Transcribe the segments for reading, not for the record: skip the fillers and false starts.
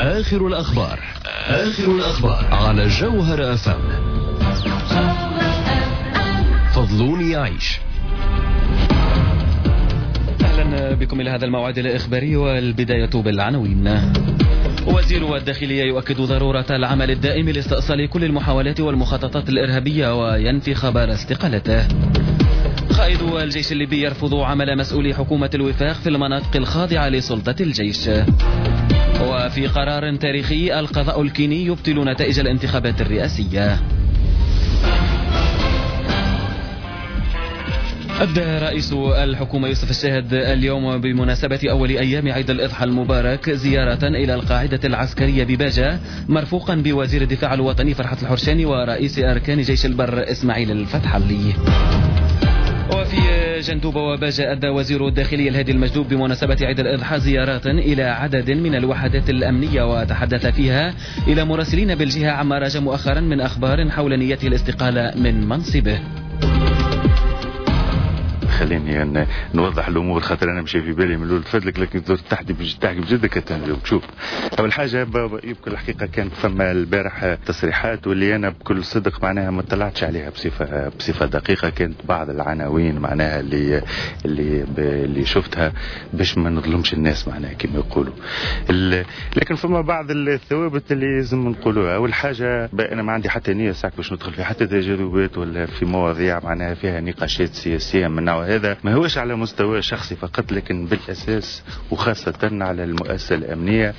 آخر الأخبار، آخر الأخبار على جوهرة أف أم. فضلوني يعيش. أهلا بكم إلى هذا الموعد الإخباري، والبداية بالعناوين. وزير الداخلية يؤكد ضرورة العمل الدائم لاستئصال كل المحاولات والمخططات الإرهابية وينفي خبر استقالته. قائد الجيش الليبي يرفض عمل مسؤولي حكومة الوفاق في المناطق الخاضعة لسلطة الجيش. وفي قرار تاريخي، القضاء الكيني يبطل نتائج الانتخابات الرئاسية. أبدى رئيس الحكومة يوسف الشاهد اليوم بمناسبة أول أيام عيد الإضحى المبارك زيارة إلى القاعدة العسكرية بباجة، مرفوقا بوزير الدفاع الوطني فرحة الحرشاني ورئيس أركان جيش البر إسماعيل الفتحلي. وفي جندوبة وباجة أدى وزير الداخلية الهادي المجدوب بمناسبة عيد الإضحى زيارات إلى عدد من الوحدات الأمنية، وتحدث فيها إلى مراسلين بالجهة عما راج مؤخرا من أخبار حول نيته الاستقالة من منصبه. خليني نوضح الامور، خاطر انا مشي في بالي من الاول تفدلك، لكن تحكي تحكي بجدك. شوف، اول حاجة يمكن الحقيقة كان فما البارح تصريحات واللي انا بكل صدق معناها ما اطلعتش عليها بصفة دقيقه. كانت بعض العناوين معناها اللي شفتها باش ما نظلمش الناس معناها كما يقولوا، لكن فما بعض الثوابت اللي لازم نقولوها. اول حاجة، انا ما عندي حتى نيه ساعة باش ندخل في حتى تجاذبات ولا في مواضيع معناها فيها نقاشات سياسية من نوع هذا، ما هوش على مستوى شخصي فقط، لكن بالاساس وخاصة على المؤسسة الامنية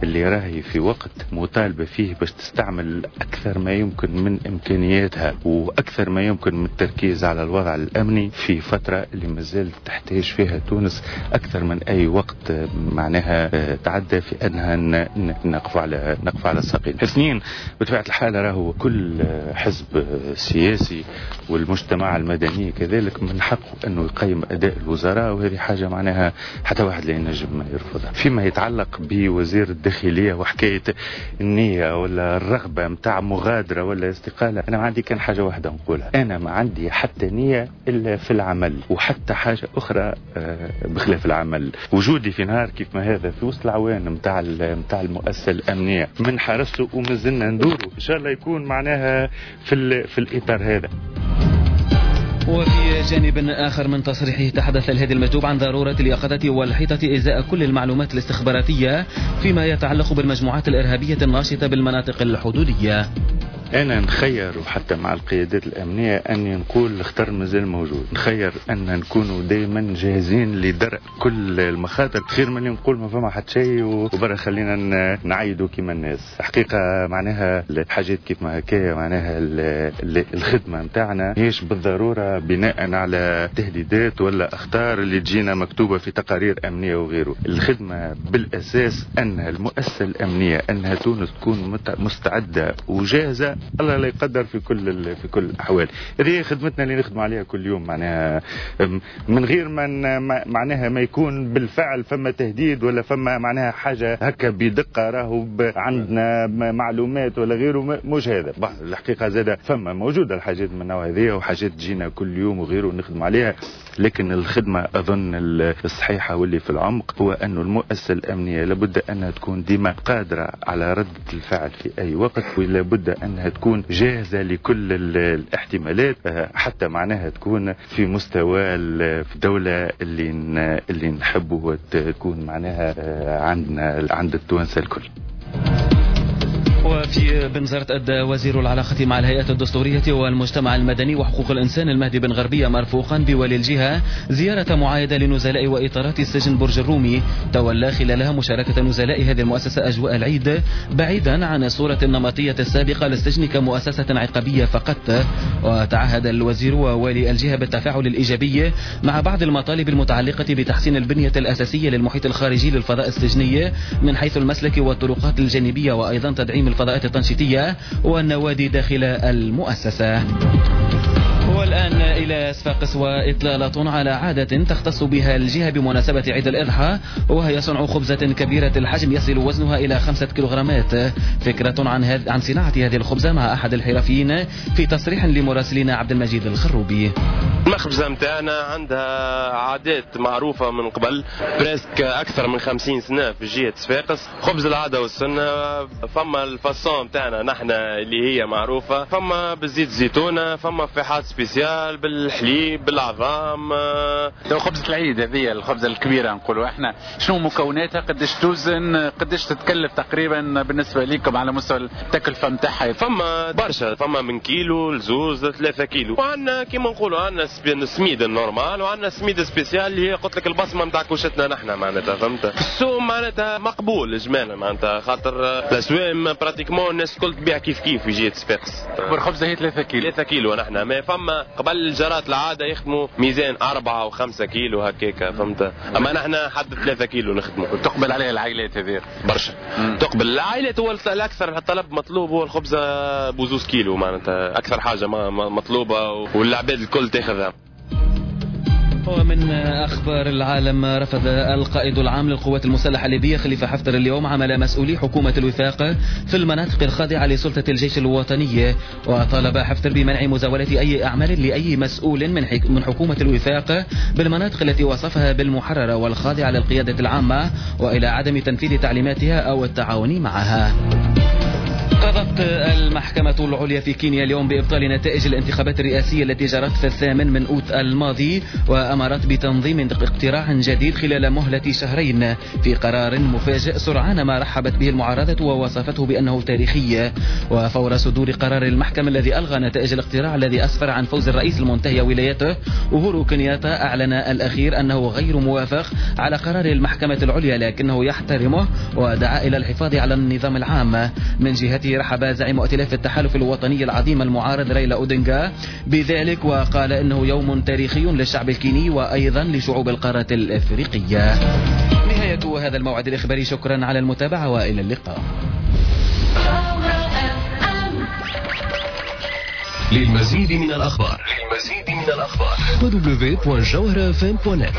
اللي راهي في وقت مطالبه فيه باش تستعمل اكثر ما يمكن من امكانياتها واكثر ما يمكن من التركيز على الوضع الامني في فترة اللي مازالت تحتاج فيها تونس اكثر من اي وقت معناها تعدى في انها نقف على الساقين. اثنين، بطبيعة الحال راهو كل حزب سياسي والمجتمع المدني كذلك من حقه انه يقيم اداء الوزراء، وهذه حاجة معناها حتى واحد لا ينجم يرفضها. فيما يتعلق بوزير الداخلية وحكاية النية ولا الرغبة نتاع مغادرة ولا استقاله، انا ما عندي كان حاجة واحدة نقولها: انا ما عندي حتى نيه الا في العمل، وحتى حاجة اخرى بخلاف العمل. وجودي في نهار كيف ما هذا في وسط العوان نتاع المؤسسة الامنية من حرسته ومازلنا ندوروا، ان شاء الله يكون معناها في الاطار هذا. وفي جانب آخر من تصريحه، تحدث الهادي المجدوب عن ضرورة اليقظة والحيطة إزاء كل المعلومات الاستخباراتية فيما يتعلق بالمجموعات الإرهابية الناشطة بالمناطق الحدودية. انا نخير وحتى مع القيادات الامنية اني نقول الخطر مازال موجود، نخير ان نكونوا دائما جاهزين لدرء كل المخاطر خير من نقول ما فما حتى شيء وبرا خلينا نعيدوا كيما الناس. حقيقة معناها الحاجات كيف ما هكايا معناها الخدمة نتاعنا هيش بالضرورة بناء على تهديدات ولا اخطار اللي تجينا مكتوبة في تقارير امنية وغيره. الخدمة بالاساس ان المؤسسة الامنية انها تونس تكون مستعدة وجاهزه، الله لا يقدر، في كل الاحوال. هذه هي خدمتنا اللي نخدم عليها كل يوم، معناها من غير ما معناها ما يكون بالفعل فما تهديد ولا فما معناها حاجة هكا بدقة راهو عندنا معلومات ولا غيره. مش هذا الحقيقه، زاده فما موجودة الحاجات من النوع هذه وحاجات تجينا كل يوم وغيره نخدم عليها، لكن الخدمة اظن الصحيحة واللي في العمق هو أن المؤسسة الامنية لابد انها تكون ديما قادرة على رده الفعل في اي وقت، ولابد انها تكون جاهزة لكل الاحتمالات، حتى معناها تكون في مستوى في الدولة اللي نحبه تكون معناها عندنا عند التوانسة الكل. وفي بنزرت، أدى وزير العلاقة مع الهيئات الدستورية والمجتمع المدني وحقوق الإنسان المهدي بن غربية مرفوقا بولي الجهة زيارة معايدة لنزلاء وإطارات السجن برج الرومي، تولى خلالها مشاركة نزلاء هذه المؤسسة أجواء العيد بعيدا عن الصورة النمطية السابقة للسجن كمؤسسة عقابية فقط. وتعهد الوزير ووالي الجهة بالتفاعل الإيجابي مع بعض المطالب المتعلقة بتحسين البنية الأساسية للمحيط الخارجي للفضاء السجني من حيث المسلك والطرقات الجانبية، وأيضا تدعيم الفضاءات التنشيطية والنوادي داخل المؤسسة. والآن إلى صفاقس وإطلالة على عادة تختص بها الجهة بمناسبة عيد الإضحى، وهي صنع خبزة كبيرة الحجم يصل وزنها إلى 5 كيلوغرامات. فكرة عن صناعة هذه الخبزة مع أحد الحرفيين في تصريح لمراسلنا عبد المجيد الخروبي. المخبزة متاعنا عندها عادات معروفة من قبل presque أكثر من 50 سنة في جهة صفاقس. خبز العادة والسنة، فما ال façon متاعنا نحن اللي هي معروفة، فما بالزيت زيتونة، فما فيحات spécial بالحليب بالعظام. لو خبزة العيد هذه الخبزة الكبيرة نقولوا احنا، شنو مكوناتها، قداش توزن، قداش تتكلف تقريبا بالنسبة لكم على مستوى التكلفة نتاعها؟ فما برشا، فما من كيلو لزوز 3 كيلو، وعندنا كيما نقولوا عندنا السميد ال normal وعندنا السميد spécial اللي هي قلت لك البصمة نتاع كوشتنا نحن معناتها، فهمت؟ السوق معناتها مقبول اجمالا معناتها، خاطر الاسواق pratiquement الناس الكل تبيع كيف كيف في جهة صفاقس. اكبر خبزه هي 3 كيلو. 3 كيلو نحن، ما فما قبل جرات العادة يخدموا ميزان 4 و5 كيلو هكاك، فهمت؟ اما نحن حد 3 كيلو نخدموا. وتقبل عليها العائلات هذه برشا. تقبل العائلات، هو الاكثر الطلب مطلوب هو الخبزة بزوز كيلو معناتها، اكثر حاجة مطلوبه والعباد الكل تاخذها. ومن أخبار العالم، رفض القائد العام للقوات المسلحة الليبية خليفة حفتر اليوم عمل مسؤولي حكومة الوفاق في المناطق الخاضعة لسلطة الجيش الوطني، وطالب حفتر بمنع مزاولة أي أعمال لأي مسؤول من حكومة الوفاق بالمناطق التي وصفها بالمحررة والخاضعة للقيادة العامة، وإلى عدم تنفيذ تعليماتها أو التعاون معها. قضت المحكمة العليا في كينيا اليوم بإبطال نتائج الانتخابات الرئاسية التي جرت في 8 أوت الماضي، وأمرت بتنظيم اقتراع جديد خلال مهلة شهرين، في قرار مفاجئ سرعان ما رحبت به المعارضة ووصفته بأنه تاريخي. وفور صدور قرار المحكمة الذي ألغى نتائج الاقتراع الذي أسفر عن فوز الرئيس المنتهي ولايته أوهورو كينياتا، أعلن الأخير أنه غير موافق على قرار المحكمة العليا لكنه يحترمه، ودعا إلى الحفاظ على النظام العام. من جهته رحب زعيم ائتلاف التحالف الوطني العظيم المعارض رايلا أودينغا بذلك، وقال إنه يوم تاريخي للشعب الكيني وأيضا لشعوب القارة الإفريقية. نهاية هذا الموعد الإخباري، شكرا على المتابعة وإلى اللقاء. للمزيد من الأخبار www.jawharafm.net.